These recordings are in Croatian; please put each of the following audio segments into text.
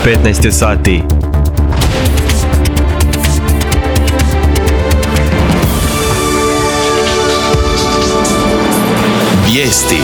15 je sati. Vijesti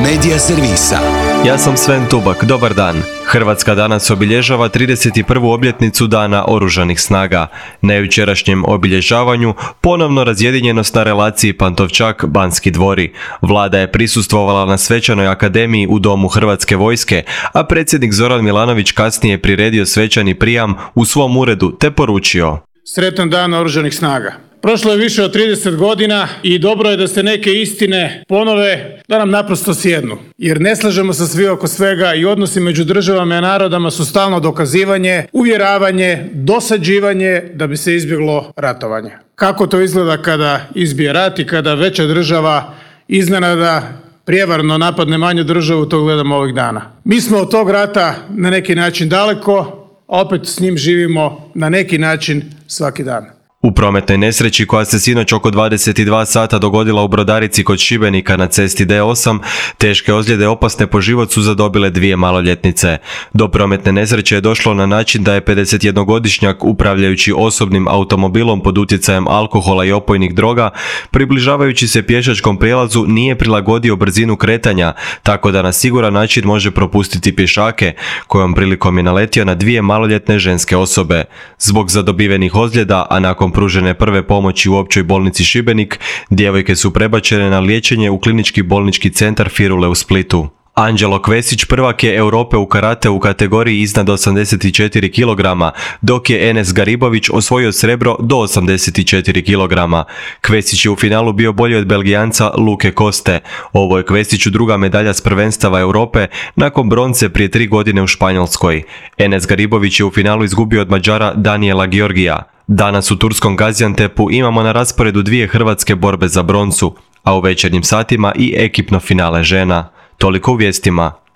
Medija servisa. Ja sam Sven Tubak, dobar dan. Hrvatska danas obilježava 31. obljetnicu Dana Oružanih snaga. Na jučerašnjem obilježavanju ponovno razjedinjenost na relaciji Pantovčak-Banski dvori. Vlada je prisustvovala na svečanoj akademiji u Domu Hrvatske vojske, a predsjednik Zoran Milanović kasnije priredio svečani prijam u svom uredu te poručio: Sretan dan Oružanih snaga. Prošlo je više od 30 godina i dobro je da se neke istine ponove, da nam naprosto sjednu. Jer ne slažemo se svi oko svega i odnosi među državama i narodama su stalno dokazivanje, uvjeravanje, dosađivanje da bi se izbjeglo ratovanje. Kako to izgleda kada izbije rat i kada veća država iznenada prijevarno napadne manju državu, to gledamo ovih dana. Mi smo od tog rata na neki način daleko, a opet s njim živimo na neki način svaki dan. U prometnoj nesreći koja se sinoć oko 22 sata dogodila u Brodarici kod Šibenika na cesti D8, teške ozljede opasne po život su zadobile dvije maloljetnice. Do prometne nesreće je došlo na način da je 51-godišnjak upravljajući osobnim automobilom pod utjecajem alkohola i opojnih droga, približavajući se pješačkom prijelazu nije prilagodio brzinu kretanja, tako da na siguran način može propustiti pješake, kojom prilikom je naletio na dvije maloljetne ženske osobe. Zbog zadobivenih ozljeda, a nakon pružene prve pomoći u općoj bolnici Šibenik, djevojke su prebačene na liječenje u klinički bolnički centar Firule u Splitu. Anđelo Kvesić prvak je Europe u karate u kategoriji iznad 84 kg, dok je Enes Garibović osvojio srebro do 84 kg. Kvesić je u finalu bio bolji od Belgijanca Luke Koste. Ovo je Kvesiću druga medalja s prvenstava Europe nakon bronce prije 3 godine u Španjolskoj. Enes Garibović je u finalu izgubio od Mađara Daniela Georgija. Danas u turskom Gaziantepu imamo na rasporedu dvije hrvatske borbe za broncu, a u večernjim satima i ekipno finale žena. Toliko u vijestima.